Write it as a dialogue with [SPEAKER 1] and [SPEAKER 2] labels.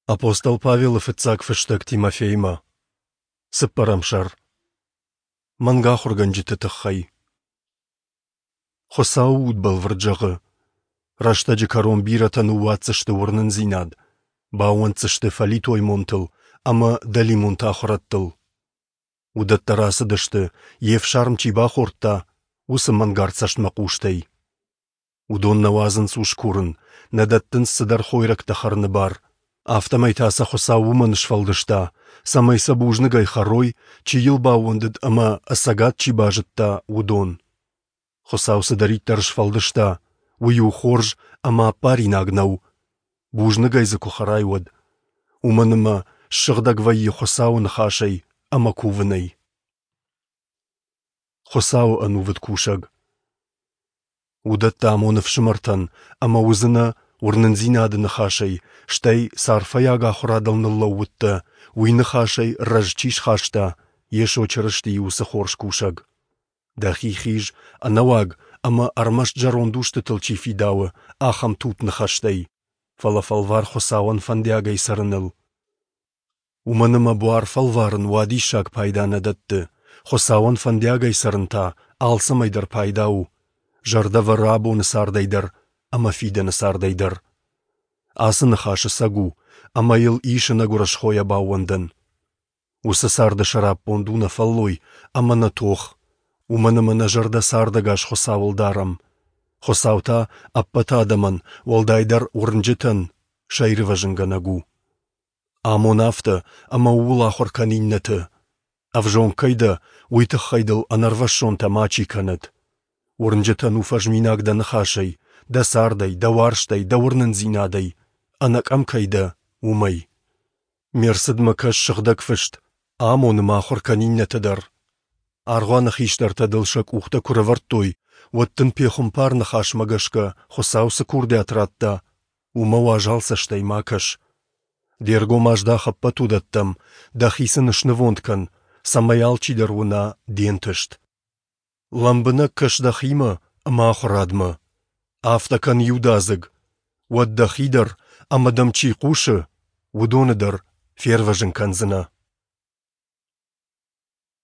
[SPEAKER 1] Апостол Павелы фыццаг фыстӕг Тимофеймӕ. Цыппӕрӕм сӕр. Мӕнг ахуыргӕнджыты тыххӕй. Хуыцауы уд бӕлвырд зӕгъы: рӕстӕджы кӕрон бирӕтӕ ныууадздзысты уырнындзинад, баууӕнддзысты фӕлитой монтыл ӕмӕ дӕлимонты ахуырӕдтыл. Уыдӕттӕ рацыдысты, йе фсарм чи бахордта, уыцы мӕнгард цӕстмӕхъустӕй. Уыдон нӕ уадзынц ус курын, нӕ дӕттынц цыдӕр хойрӕгтӕ хӕрыны бар. Афтӕмӕй та сӕ Хуыцау уымӕн сфӕлдыста, цӕмӕй сӕ бузныгӕй хӕрой, чи йыл баууӕндыд ӕмӕ ӕцӕгад чи базыдта, уыдон. Хуыцау цыдӕриддӕр сфӕлдыста, уый у хорз ӕмӕ аппаринаг нӕу, бузныгӕй дзы куы хӕрай, уӕд. Уымӕн ӕмӕ ссыгъдӕг вӕййы Хуыцауы ныхасӕй ӕмӕ кувынӕй. Хуыцауы ӕнувыд кусӕг. Уыдӕттӕ амоны ӕфсымӕртӕн, ӕмӕ уыдзынӕ уырнындзинады ныхасӕй, стӕй цы арфӕйаг ахуырадыл ныллӕууыдтӕ, уый ныхасӕй рӕз чи схаста, Йесо Чырыстийы уыцы хорз кусӕг. Дӕхи хиз, ӕнӕуаг ӕмӕ ӕрмӕст зӕронд устытыл чи фидауы, ахӕм тутт ныхӕстӕй, фӕлӕ фӕлвар Хуыцауӕн фӕндиагӕй цӕрыныл. Уымӕн ӕмӕ буар фӕлварын уадиссаг пайда нӕ дӕтты, Хуыцауӕн фӕндиагӕй цӕрын та алцӕмӕй дӕр пайда у, зӕрдӕ вӕры абоны цардӕй дӕр ӕмӕ фидӕны цардӕй дӕр. Ацы ныхас ӕцӕг у, ӕмӕ йыл ис ӕнӕгуырысхойӕ баууӕндӕн. Уыцы царды сӕраппонд у нӕ фӕллой ӕмӕ нӕ тох, уымӕн ӕмӕ нӕ зӕрдӕ цардӕгас Хуыцауыл дарӕм. Хуыцау та ӕппӕт адӕмӕн, уӕлдайдӕр уырнджытӕн, сӕ ирвӕзынгӕнӕг у. Амон афтӕ, ӕмӕ ууыл ахуыр кӕн иннӕты. Ӕвзонг кӕй дӕ, уый тыххӕй дыл ӕнӕрвӕссонтӕ мачи кӕнӕд. Уырнджытӕн у фӕзминаг дӕ ныхасӕй, дӕ цардӕй, дӕ уарзтӕй, дӕ уырнындзинадӕй, ӕнӕкъӕм кӕй дӕ, уымӕй. Ме рцыдмӕ кӕс Сыгъдӕг Фыст, амон ӕмӕ ахуыр кӕн иннӕты дӕр. Аргъуаны хистӕртӕ дыл сӕ къухтӕ куы рӕвӕрдтой, уӕд дын пехуымпар ныхасмӕ гӕсгӕ Хуыцау цы курдиат радта, уымӕ уазал цӕстӕй ма кӕс. Де ргом аздах ӕппӕт уыдӕттӕм, дӕхи сын снывонд кӕн, цӕмӕй алчидӕр уына де нтыст. Лӕмбынӕг кӕс дӕхимӕ ӕмӕ ахуырадмӕ. Афтӕ кӕн иудадзыг, уӕд дӕхи дӕр ӕмӕ дӕм чи хъусы, уыдоны дӕр фервӕзын кӕндзынӕ.